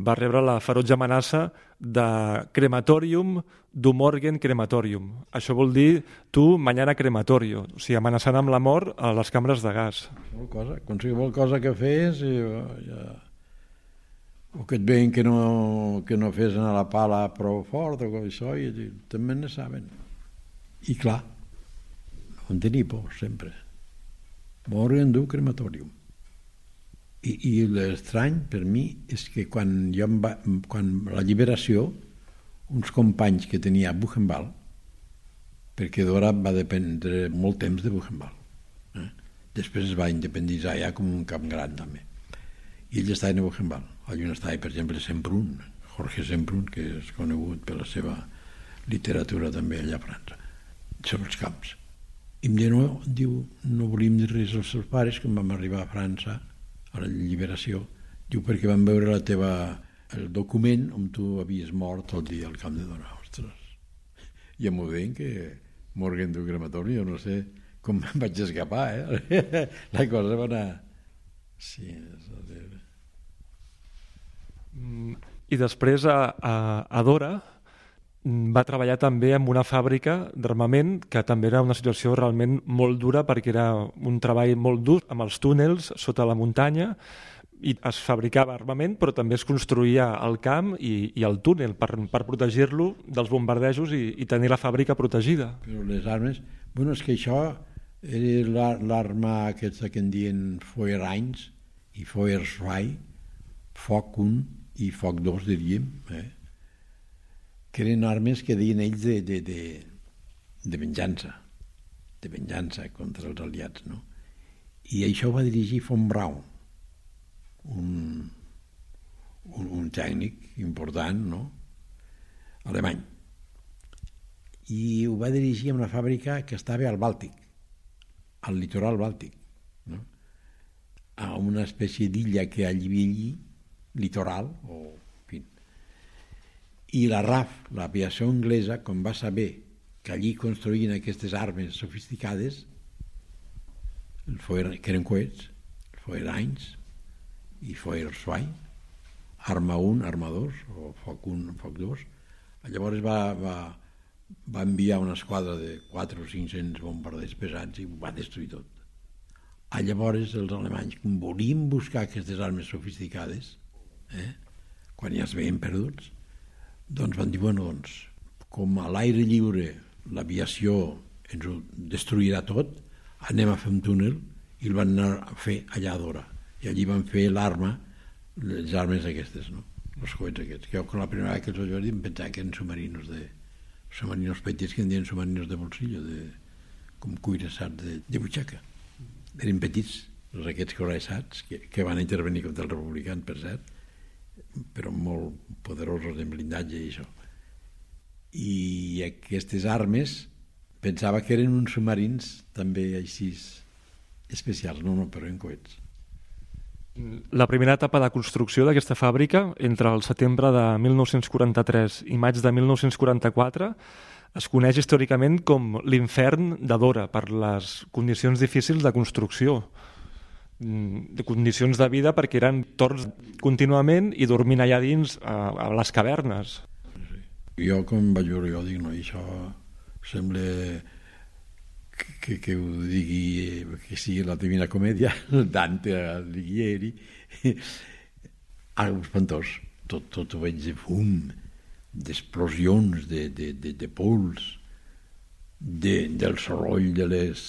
va rebre la ferotge amenaça de crematorium du morgen crematorium. Això vol dir tu mañana crematorio, o sigui, amenaçant amb la mort a les cambres de gas. Qualsevol cosa que fes o que et veien que no fes anar la pala prou fort o això, i també ne saben. I clar, no en tenia por, sempre. Morgen du crematorium. I l'estrany per mi és que quan la lliberació, uns companys que tenia a Buchenwald, perquè Dora va dependre molt temps de Buchenwald, després es va independitzar ja com un camp gran també, i ells estaven a Buchenwald. Allà estava, per exemple, Semprún, Jorge Semprún, que és conegut per la seva literatura també allà a França, sobre els camps. I em diu, no volíem dir res als seus pares, que vam arribar a França a la lliberació, diu, perquè vam veure el document on tu havies mort el dia al camp de Dora. Ostres, ja m'ho deien que morgen du crematori, jo no sé com me'n vaig escapar, la cosa va anar... Sí, I després a Dora va treballar també en una fàbrica d'armament, que també era una situació realment molt dura, perquè era un treball molt dur amb els túnels sota la muntanya, i es fabricava armament, però també es construïa el camp i el túnel per protegir-lo dels bombardejos i tenir la fàbrica protegida. Però les armes... Bueno, és que això era l'arma aquesta que en diuen Feuer 1 i Feuer 2, foc 1 i foc 2, diríem, que eren armes que deien ells de venjança contra els aliats, no? I això ho va dirigir von Braun, un tècnic important, no? Alemany. I ho va dirigir en una fàbrica que estava al Bàltic, al litoral bàltic. no? A una espècie d'illa que hi havia allí, litoral, o en fi. I la RAF, l'aviació anglesa, com va saber que allí construïen aquestes armes sofisticades, que eren coets, el Feuerreins i Feuerzweig, arma 1, arma 2, o foc 1, foc 2. Llavors va enviar una esquadra de 4 o 500 bombarders pesats i ho va destruir tot. Llavors els alemanys, com volien buscar aquestes armes sofisticades, quan ja es veien perduts, doncs van dir, bueno, doncs, com a l'aire lliure l'aviació ens ho destruirà tot, anem a fer un túnel, i el van anar a fer allà a Dora. I allí van fer les armes aquestes, no? Els coets aquests. Que la primera vegada que els vaig dir em pensava que eren submarinos petits, que en diuen submarinos de bolsillo, com cuirassats de butxaca. Eren petits, els aquests cuirassats, que van intervenir contra els republicans, per cert, però molt poderosos en blindatge i això. I aquestes armes pensava que eren uns submarins també així especials, no, però en coets. La primera etapa de construcció d'aquesta fàbrica, entre el setembre de 1943 i maig de 1944, es coneix històricament com l'infern de Dora per les condicions difícils de construcció, de condicions de vida perquè eren torns contínuament i dormint allà dins a les cavernes. Jo, com vaig veure, jo dic, no, això sembla que ho digui, que sigui la Divina Comèdia, Dante Alighieri, algo espantós. Tot ho veig de fum, d'explosions, de pols, del soroll de les...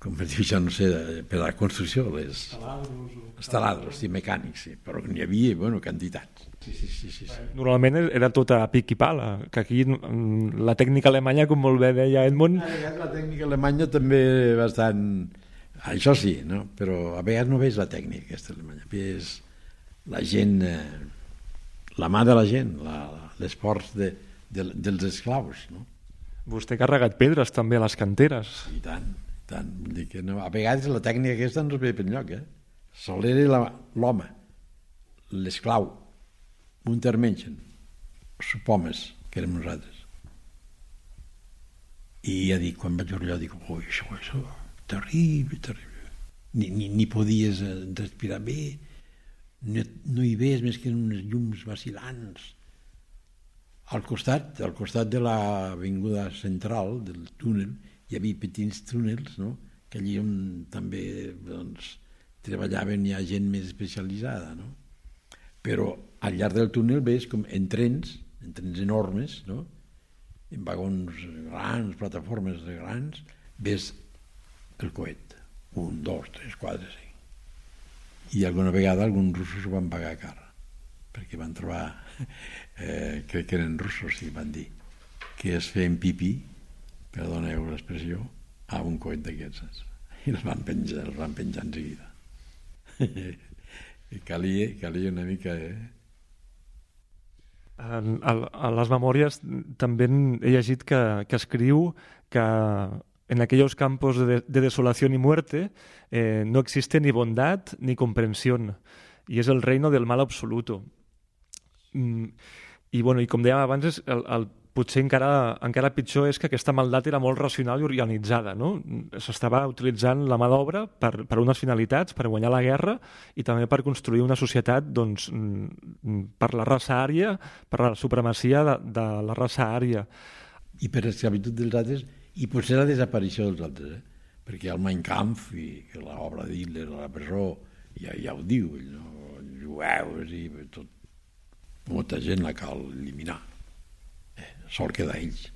com per dir això, no sé, per a la construcció, les... taladros, sí, mecànics, sí, però n'hi havia, bueno, quantitats. Sí. Normalment era tot a pic i pala, que aquí la tècnica alemanya, com molt bé deia Edmund... A vegades la tècnica alemanya també bastant... Això sí, no? Però a vegades no veus la tècnica aquesta alemanya, veus la gent, la mà de la gent, l'esforç dels esclaus, no? Vostè ha carregat pedres també a les canteres. I tant. Vull dir que no, a vegades la tècnica aquesta no es veia per enlloc, sol era l'home, l'esclau, Untermenschen, supomes, que érem nosaltres. I ja dic, quan vaig veure allò, dic, això, terrible. Ni podies respirar bé, no hi veies més que uns llums vacil·lants. Al costat de l'avinguda central, del túnel, hi havia petits túnels, no? Que allí on també doncs, treballaven ja gent més especialitzada, no? Però al llarg del túnel veus com en trens enormes, no? En vagons grans, plataformes grans, veus el coet. 1, 2, 3, 4, 5. I alguna vegada alguns russos ho van pagar car, perquè van trobar, crec que eren russos, sí, van dir, que es feien pipí, perdoneu l'expressió, a un coet d'aquests. I els van penjar en seguida. I calia una mica... A les memòries també he llegit que escriu que en aquellos campos de desolación y muerte no existe ni bondad ni comprensión, y es el reino del mal absoluto. I com dèiem abans, potser encara pitjor és que aquesta maldat era molt racional i organitzada, no? S'estava utilitzant la mà d'obra per unes finalitats, per guanyar la guerra i també per construir una societat per la raça ària, per la supremacia de la raça ària. I per l'esclavitud dels altres, i potser la desaparició dels altres, perquè el Mein Kampf i l'obra d'Hitler a la presó ja ho diu, jueus i tot, molta gent la cal eliminar. Sol quedar ells.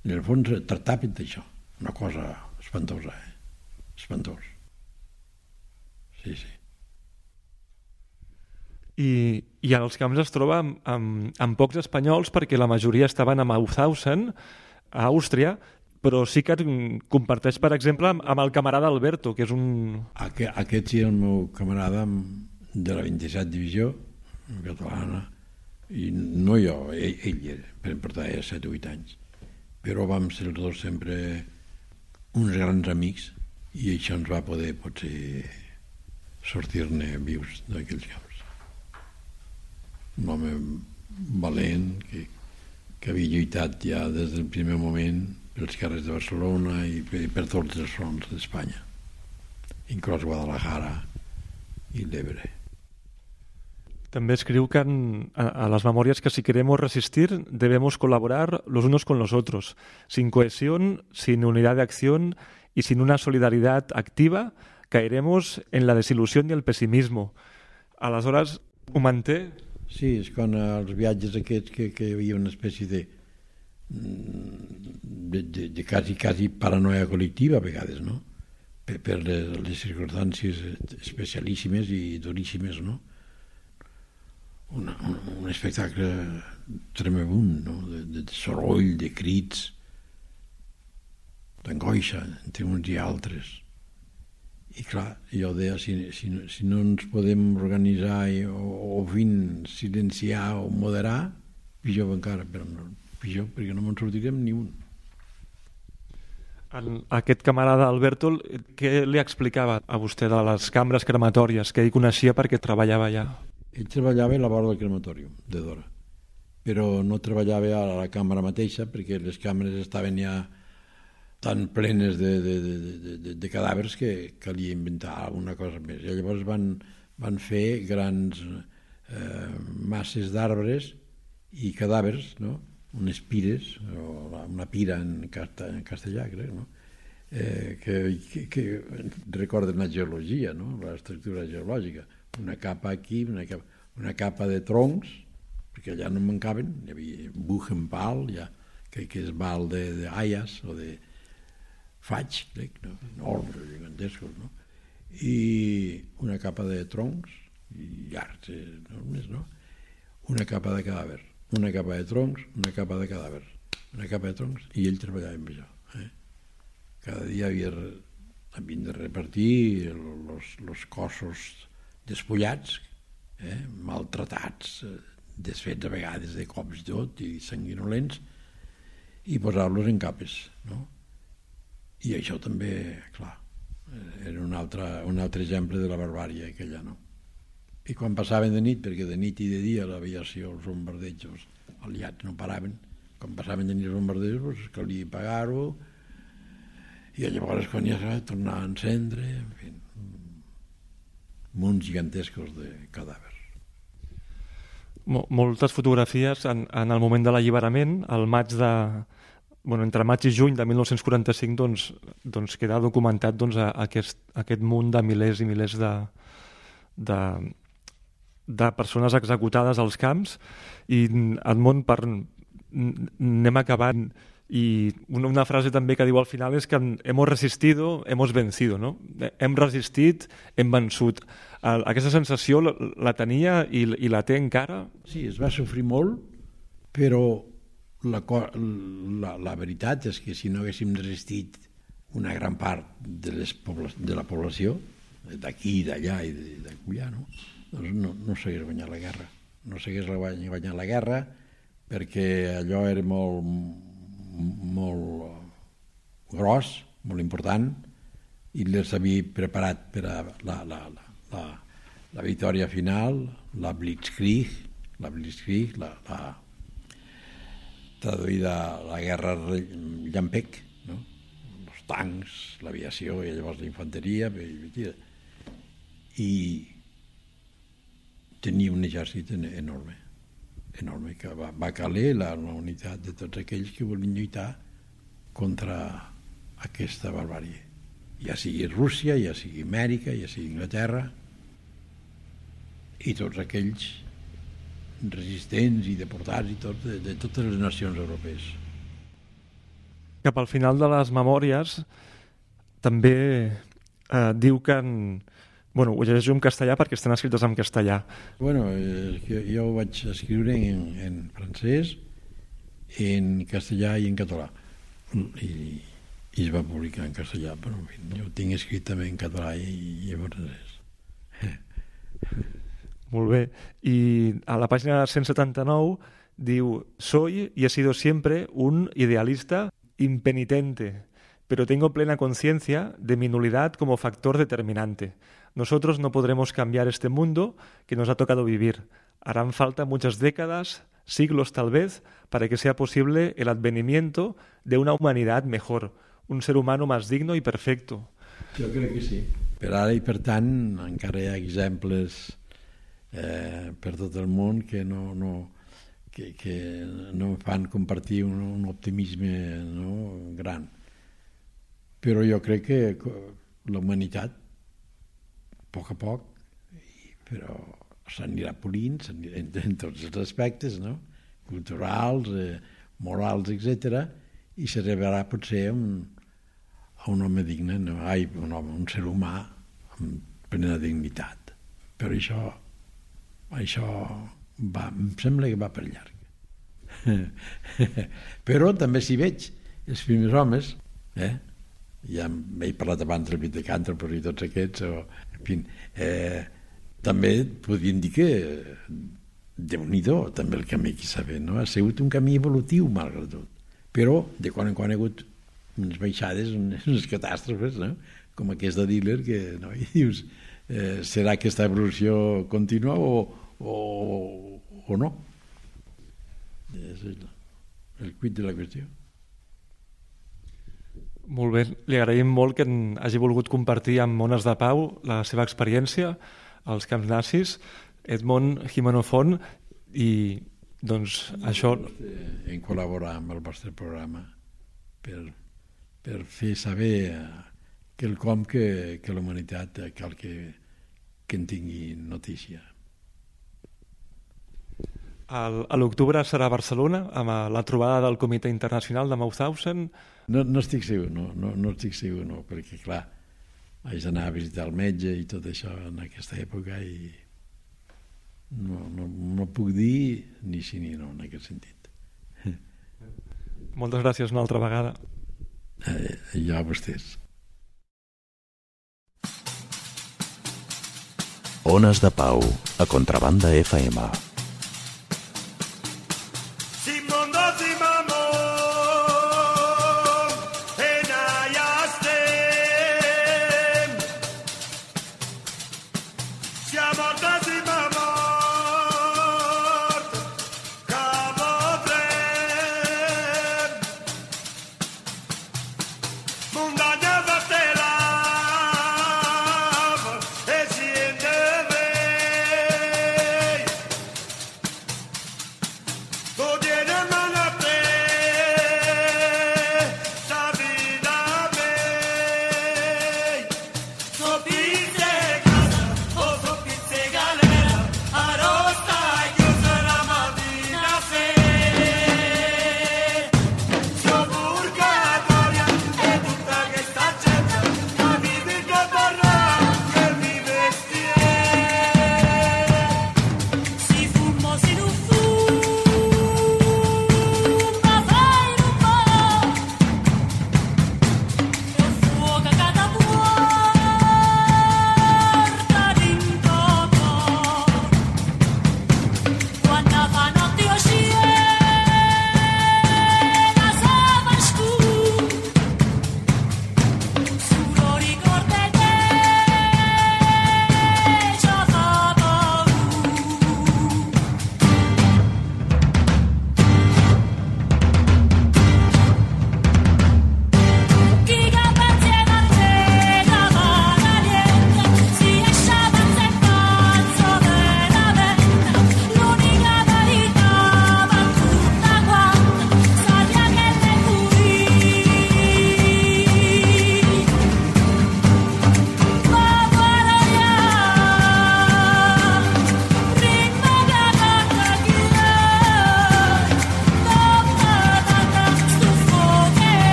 En el fons tractaven d'això, una cosa espantosa, espantós. Sí. I als camps es troba amb pocs espanyols perquè la majoria estaven a Mauthausen, a Àustria, però sí que comparteix, per exemple, amb el camarada Alberto, que és un... Aquest sí, el meu camarada de la 27 divisió catalana, i no jo, ell portava 7 o 8 anys, però vam ser els dos sempre uns grans amics, i això ens va poder potser sortir-ne vius d'aquells camps. Un home valent que havia lluitat ja des del primer moment pels carrers de Barcelona i per tots els fronts d'Espanya, inclòs Guadalajara y l'Ebre. También escriu que a las memorias que si queremos resistir debemos colaborar los unos con los otros. Sin cohesión, sin unidad de acción y sin una solidaridad activa caeremos en la desilusión y el pesimismo. Aleshores, ho manté? Sí, és quan als viatges aquests que hi havia una espècie de quasi paranoia col·lectiva a vegades, no? Per les circumstàncies especialíssimes i duríssimes, no? Un espectacle tremebund, no? De soroll, de crits, d'angoixa entre uns i altres. I clar, jo deia, si no ens podem organitzar o silenciar o moderar, pitjor encara, però pitjor perquè no me'n sortirem ni un. Aquest camarada Alberto, què li explicava a vostè de les cambres crematòries que ell coneixia perquè treballava allà? Ell treballava a la vora del crematori de Dora, però no treballava a la càmera mateixa perquè les càmeres estaven ja tan plenes de cadàvers que calia inventar alguna cosa més. I llavors van fer grans masses d'arbres i cadàvers, no? Unes pires, o una pira en castellà, crec, no? Que recorden la geologia, no? L'estructura geològica. Una capa aquí, una capa de troncs, perquè allà no mancaven, hi havia Buchenwald, ja, que és val d'aies o de faig, crec, no? Enormes, gigantescos, no? I una capa de troncs i llargs enormes, no? Una capa de cadàver, una capa de troncs, una capa de cadàver, una capa de troncs, i ell treballava amb això. Cada dia havien de repartir els cossos despullats, maltratats, desfets a vegades de cops i tot, i sanguinolents, i posar-los en capes, no? I això també, clar, era un altre exemple de la barbària aquella, no? I quan passaven de nit, perquè de nit i de dia l'aviació, els bombardejos aliats no paraven, quan passaven de nit els bombardejos, doncs calia pagar-ho, i llavors quan ja s'ha de tornar a encendre, en fi, munts gigantescos de cadàvers. Moltes fotografies en el moment de l'alliberament, al maig de... entre maig i juny de 1945 doncs queda documentat aquest munt de milers i milers de persones executades als camps, i Edmond, anem acabant, i una frase també que diu al final és que hemos resistido, hemos vencido, no? Hem resistit, hem vençut. Aquesta sensació la tenia i la té encara? Sí, es va sofrir molt, però la veritat és que si no haguéssim resistit una gran part de la població, d'aquí i d'allà i d'acullà, no? Doncs no s'hagués guanyat la guerra. No s'hagués guanyat la guerra perquè allò era molt gros, molt important, i les havia preparat per a la victòria final, la Blitzkrieg, traduïda a la guerra llampec, no? Els tancs, l'aviació i llavors la infanteria, i tenia un exèrcit enorme, que va caler la unitat de tots aquells que volien lluitar contra aquesta barbàrie, ja sigui Rússia, ja sigui Amèrica, ja sigui Inglaterra, i tots aquells resistents i deportats i tot, de totes les nacions europees. Cap al final de les memòries també diu que ho llegeixo en castellà perquè estan escrites en castellà. Jo ho vaig escriure en francès, en castellà i en català, i es va publicar en castellà, però en fi, jo ho tinc escrit també en català i en francès. Molt bé. I a la pàgina 179 diu: soy y he sido siempre un idealista impenitente, pero tengo plena conciencia de mi nulidad como factor determinante. Nosotros no podremos cambiar este mundo que nos ha tocado vivir. Harán falta muchas décadas, siglos tal vez, para que sea posible el advenimiento de una humanidad mejor, un ser humano más digno y perfecto. Jo crec que sí. Per ara i per tant encara hi ha exemples per tot el món que no fan compartir un optimisme, no, gran. Però jo crec que la humanitat, a poc, però s'anirà polint en tots els aspectes, no? Culturals, morals, etc. I s'arribarà potser a un home digne, no? Un ser humà amb plena dignitat. Però això em sembla que va per llarg. Però també si veig els primers homes, ja he parlat abans del Pete Canterbury i tots aquests, en fi, també podríem dir que Déu-n'hi-do també el camí que s'ha fet, no? Ha sigut un camí evolutiu malgrat tot, però de quan en quan hi ha hagut unes baixades, unes catàstrofes, no? Com aquesta dealer que no? I dius, serà aquesta evolució contínua o no? És el quid de la qüestió. Molt bé, li agraïm molt que hagi volgut compartir amb Ones de Pau la seva experiència als camps nazis, Edmond Gimeno Font, i doncs això... En col·laborar amb el vostre programa per fer saber quelcom que la humanitat cal que en tingui notícia. A l'octubre serà a Barcelona amb la trobada del Comitè Internacional de Mauthausen. No estic segur, no estic segur, no, perquè clar, haig d'anar a visitar el metge i tot això en aquesta època i no puc dir ni sí ni no en aquest sentit. Moltes gràcies una altra vegada. Ja a vostès. Ones de Pau, a Contrabanda FM.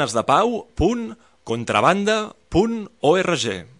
zonasdepau.contrabanda.org.